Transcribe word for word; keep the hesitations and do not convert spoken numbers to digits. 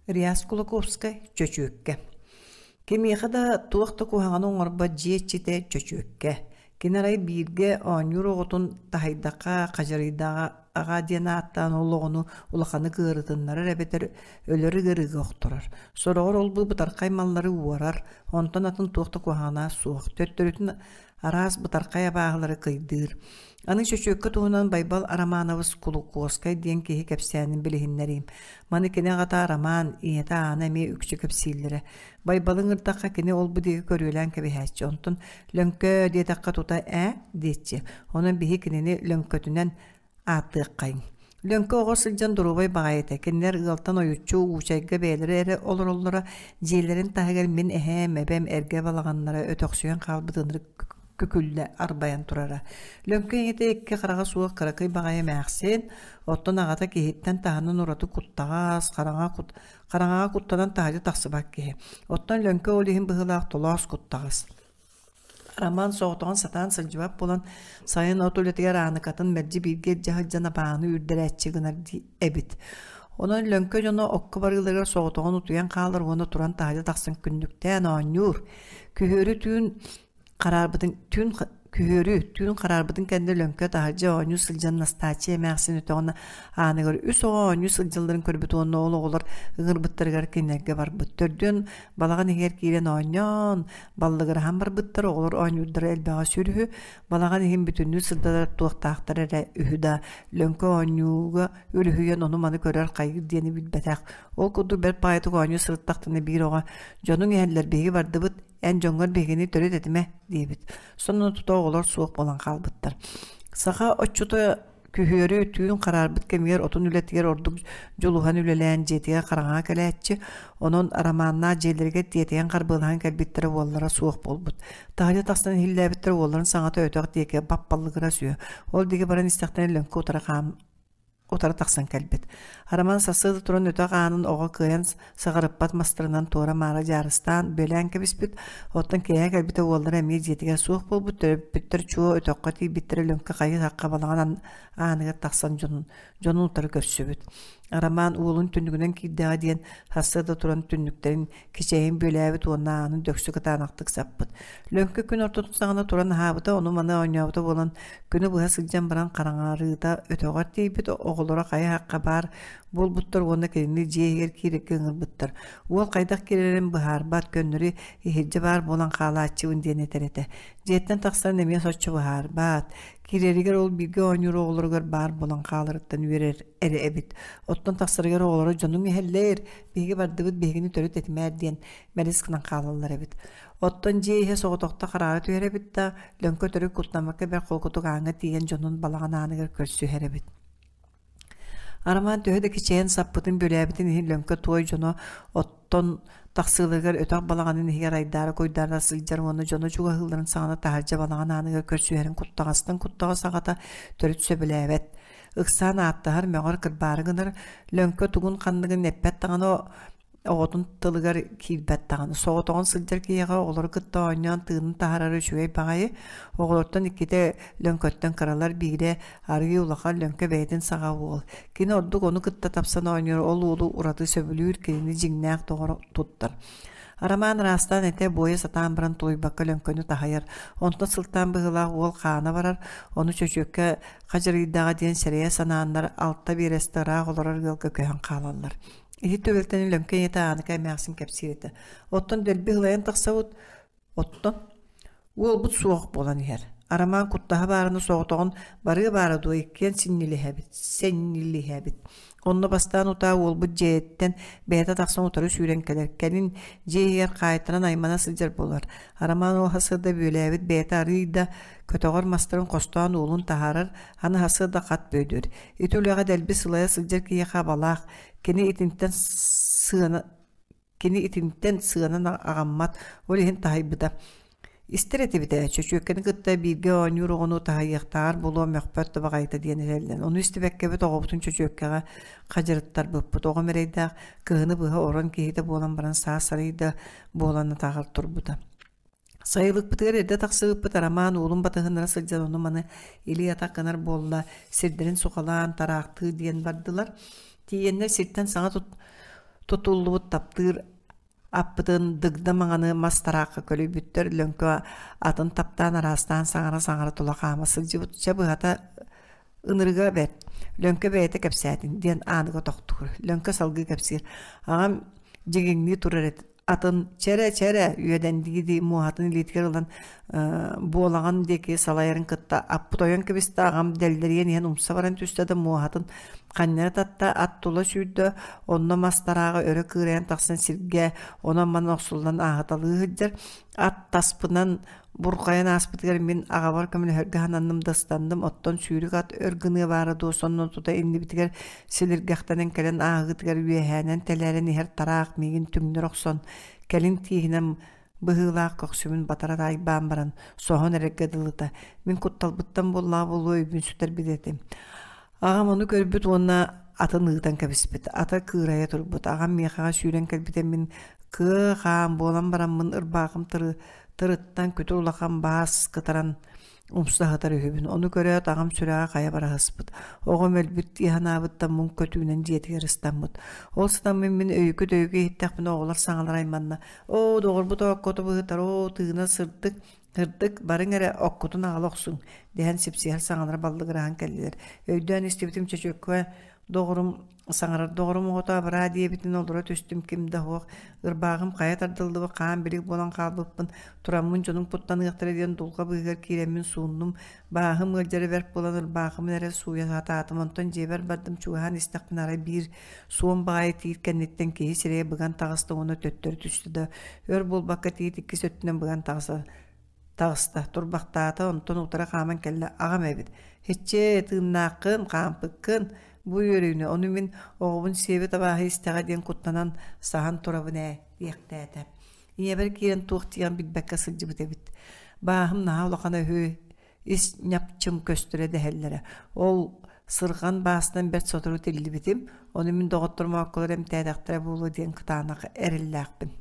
Реас Кулаковскай Чөчүөккэ. Кимиэхэ да туох да куһаҕаны оҥорбот дьиэ иччитэ Чөчүөккэ. Кини арай бииргэ оонньуур оҕотун таһыйдахха, хадьарыйдаҕа аҕа диэн ааттаан ол оҕону улаханнык ыарытыннарар эбэтэр өлөр ыарыыга охторор. Сороҕор ол-бу бытархай маллары уорар, онтон атын туох да куһаҕана суох. Төттөрүтүн араас бытархай абааһылары кыйдыыр. Аны Чөчүөккэ туһунан Байбал Арамаанабыс Кулукуоскай диэн киһи кэпсээнин билиһиннэриим. Маны кини аҕата Арамаан, ийэтэ Аана эмиэ үксү кэпсииллэрэ. Байбалы ыҥырдахха кини ол-бу диэки көрүөлээн кэбиһээччи. Онтон «Лөҥкөө» диэтэххэ тута «ээ» диэччи. Онон биһи кинини Лөҥкөтүнэн ааттыаххайыҥ. Лөҥкө оҕо сылдьан доруобай баҕайы этэ. Кинилэр ыалтан ойуччу Уучайга бэйэлэрэ эрэ олороллоро. Дьиэлэрин таһыгар мин эһээм, эбэм эргэ балаҕаннара өтөхсүйэн хаалбыт ынырык күкүллэ арбайан турара. Лөҥкө ийэтэ икки хараҕа суох кыракый баҕайы эмээхсин, оттон аҕата киһиттэн таһынан ураты куттаҕас, хараҥа кут, хараҥаҕа куттанан таһырдьа тахсыбат киһи. Оттон Лөҥкө ол иһин быһыылаах толоос куттаҕас. Роман соҕотоҕун сатаан сылдьыбат буолан, сайын от үлэтигэр Ааныкатын мэлдьи бииргэ илдьэ сылдьан абааһыны үүрдэрээччи гынар эбит. Онон Лөҥкө дьоно окко барыыларыгар соҕотоҕун утуйан хаалар уонна туран таһырдьа тахсан күннүктээн оонньуур. Күһүөрү түүн хараарбытын түүн күһүөрү түүн хараарбытын кэннэ Лөҥкө таһырдьа оонньуу сылдьан Настааччыйа эмээхсин өтөҕүн ааныгар үс оҕо оонньуу сылдьалларын көрбүт уонна ол оҕолор ыҥырбыттарыгар кинилэргэ барбыт. Төрдүөн балаҕан иһигэр киирэн оонньоон, баллыгыраһан барбыттар, оҕолор оонньуурдара элбэҕэ сүр үһү, балаҕан иһин бүтүннүү сырдатар туохтаахтар эрэ үһү да, Лөҥкө оонньууга үлүһүйэн ону-маны көрөр хайыыр диэни билбэтэх. Ол курдук бэрт баҕайытык оонньуу сырыттахтарына биир оҕо «Дьонуҥ иһэллэр, биһиги бардыбыт, эн дьоҥҥор биһигини төрүт этимэ» диэбит. Сонно тута оҕолор суох буолан хаалбыттар. Саха отчута күһүөрү түүн хараарбыт кэмигэр отун үлэтигэр ордук дьулуһан үлэлээн дьиэтигэр хараҥаҕа кэлээччи, онон Арамааннаах дьиэлэригэр тиэтэйэн харбыалаһан кэлбиттэрэ уоллара суох буолбут. Таһырдьа тахсан иһиллээбиттэрэ уолларын саҥата өтөх диэки баппаллыгырас үһү. Ол диэки баран истэхтэринэ Лөҥкө утары хаам утары тахсан кэлбит. Арамаан сарсыарда туран өтөх аанын оҕо кыайан саҕарыппат мастарынан туора-маара дьаарыстаан, бүөлээн кэбиспит. Оттон киэһэ кэлбитэ уоллара эмиэ дьиэтигэр суох буолбут, төрөппүттэр чуо өтөххө тиийбиттэрэ Лөҥкө хайы-сахха балаҕан ааныгар тахсан дьонун, дьонун утары көрсүбүт. Арамаан уолун түннүгүнэн киирдэҕэ диэн сарсыарда туран түннүктэрин кичэйин бүөлээбит уонна аанын дөксү кытаанахтык саппыт. Лөҥкө күн ортотун саҕана туран аһаабыта, ону-маны оонньообута буолан күнү быһа сылдьан баран хараҥарыыта өтөҕөр тиийбит, оҕолоро хайа-хахха баар буолбуттар уонна кинини дьиэ иһигэр киирэргэ ыҥырбыттар. Уол хайдах киирэрин быһаарбат, көннөрү иһирдьэ баар буолан хаалааччыбын диэн этэр этэ. Дьиэттэн тахсарын эмиэ соччо быһаарбат. Киирэригэр ол бииргэ оонньуур оҕолоругар баар буолан хааларыттан үөрэр эрэ эбит. Оттон тахсарыгар оҕолоро дьонуҥ иһэллэр, биһиги бардыбыт, биһигини төрүт этимээр диэн мэлис гынан хаалаллар эбит. Оттон дьиэ иһэ соҕотохто хараара түһэр эбит да, Лөҥкө төрүт куттаммакка бэрт холкутук ааҥҥа тиийэн дьонун балаҕан ааныгар көрсүһэр эбит. Арамаан төһө да кичэйэн саппытын бүөлээбитин иһин Лөҥкө туой дьоно оттон тахсыыларыгар өтөх балаҕанын иһигэр айдаара-куйдаара сылдьар уонна дьоно чугаһыылларын саҕана таһырдьа балаҕан ааныгар көрсүһэрин куттаҕастан куттаҕас аҕата төрүт сөбүлээбэт. Ыксаан ааттаһар, мөҕөр, кырбаары гынар, Лөҥкө тугун-ханныгын эппэт даҕаны оҕотун тылыгар киирбэт даҕаны. Соҕотоҕун сылдьар киһиэхэ оҕолору кытта оонньоон тыынын таһаарара үчүгэй баҕайы. Оҕолортон иккитэ Лөҥкөттөн кыралар, биирэ арыый улахан Лөҥкө бэйэтин саҕа уол. Кини ордук ону кытта тапсан оонньуур, ол уолу ураты сөбүлүүр, кинини дьиҥнээх доҕор туттар. Арамаан ыраастаан этэ буойа сатаан баран тулуйбакка Лөҥкөнү таһыйар. Онтон сылтаан быһыылаах уол хаана барар, ону чөчүөккэ хадьырыйдаҕа диэн сэрэйэ санааннар алта биэрэстэ ыраах олорор ыалга көһөн хаалаллар. Ити түбэлтэни Лөҥкө ийэтэ Ааныка эмээхсин кэпсиир этэ. Оттон дэлби ыһылайан тахсабыт, оттон уолбут суох буолан иһэр. Арамаан куттаһа баарына соҕотоҕун барыа баара дуо иккиэн синньилиһэбит, сэнньилиһэбит. Онно бастаан утаа уолбут дьиэттэн бэйэтэ тахсан утары сүүрэн кэлэр. Кэлин дьиэ иһигэр хаайтаран аймана сылдьар буолар. Арамаан ол сарсыарда бүөлээбит бэйэтэ арыый да көтөҕөр мастарын хостоон уолун таһаарар, аны сарсыарда хат бүөдүөр. Ити үлэҕэ дэлби сылайа сылдьар киһиэхэ абалаах, кини итинтэн сыана кини итинтэн сыанан аҕаммат, ол иһин таһыйбыта. Истэр этибит ээ, чөчүөккэни кытта бииргэ оонньуур оҕону таһыйыахтааҕар буолуо мөхпөт да баҕайыта диэн этэллэр. Ону истибэккэбит оҕобутун чөчүөккэҕэ хадьырыттарбыппыт. Оҕом эрэйдээх кыһыны быһа орон киһитэ буолан баран саас арый да буолан атаҕар турбута. Сайылыкпытыгар эрдэ тахсыбыппыт Арамаан уолун батыһыннара сылдьан ону-маны илии-атах гынар буолла, сирдэрин сухалаан тараахтыы диэн бардылар. Тиийэннэр сиртэн саҥа тут Тутуллубут таптыыр аппытын дыгда маҥаны мас тараахха көлүйбүттэр, Лөҥкө атын таптаан араастаан саҥара-саҥара тула хаама сылдьыбыт. Чэ быһата ынырыга бэрт. Лөҥкө бэйэтэ кэпсээтин диэн ааныга тохтуур. Лөҥкө салгыы кэпсиир. Аҕам дьигиҥнии турар эт атын чэрэ-чэрэ үөдэндии муоһатын илиитигэр ылан буолаҕын диэки салайарын кытта аппыт ойон кэбистэ, аҕам дэллэрийэн иһэн умса баран түстэ да муоһатын ханньара татта, ат тула сүүрдэ, онно мас тарааҕа өрө кыырайан тахсан сиргэ онон-манан охсуллан ааһыталыы сылдьар. Ат таспынан бурҕайан ааспытыгар мин аҕабар көмөлөһөргө сананным да ыстанным, оттон сүүрүк ат өр гыныа баара дуо, сонно тута иннибитигэр силиргэхтэнэн кэлэн ааһыытыгар үөһээнэн тэлээрэн иһэр тараах миигин түҥнэр охсон, кэлин тииһинэн быһыылаах көхсүбүн батара таайбаан баран соһон эрэргэ дылыта. Мин кутталбыттан буоллаҕа буолуо өйбүн сүтэрбит этим. Аҕам ону көрбүт уонна атын ыытан кэбиспит. Ата кыырайа турбут. Аҕам миэхэҕэ сүүрэн кэлбитэ, мин кыа хаан буолан бараммын ырбаахым тыры тырыттан күтүр улахан баас кытаран умса сытар үһүбүн. Ону көрөөт аҕам сүрэҕэ хайа бараһыспыт. Оҕом өлбүт дии санаабыттан муҥ көтүүнэн дьиэтигэр ыстаммыт. Ол сытаммын мин өйүкү-дөйүкү иһиттэхпинэ оҕолор саҥалара айманна. Оо, доҕорбут ооккоту быһытар, оо, тыына сырдык, сырдык, барыҥ эрэ оккутун аҕала охсуҥ, дэһэн сипсиһэр саҥалара баллыгыраһан кэллилэр. Өйдөөн истибитим чөчүөккэ доҕорум саҥарар доҕорум оҕото абыраа диэбитин олоро түстүм, ким да суох. Ырбааҕым хайа тардыллыбыт хаан билик буолан хаалбыппын. Тураммын дьонум куттаныахтара диэн дулҕа быыһыгар киирэммин сууннум. Бааһым ыалдьара бэрт буолан ырбаахымын эрэ сууйа сатаатым. Онтон дьиэбэр бардым, чугаһаан истэхпинэ арай биир суон баҕайы тиит кэнниттэн киһи сирэйэ быган таҕыста уонна төттөрү түстэ да өр буолбакка тиит иккис өттүнэн быган таҕыста таҕыста, турбахтаата, онтон утары хааман кэллэ. Аҕам эбит. Һиччээ, тыыннааххын, хаампыккын, бу үөрүүнү, ону мин оҕобун сиэбит абааһы истэҕэ диэн куттанан саһан турабын ээ, диэхтээтэ. Ийэбэр киирэн туох диэн билбэккэ сылдьыбыт эбит. Бааһым наһаа улахан үһү, ис ньапчым көстөрө дэһэллэрэ. Ол сырҕан баастан бэрт сотору тиллибитим, ону мин доҕотторум оокколор эмтээтэхтэрэ буолуо диэн кытаанах эрэллээхпин.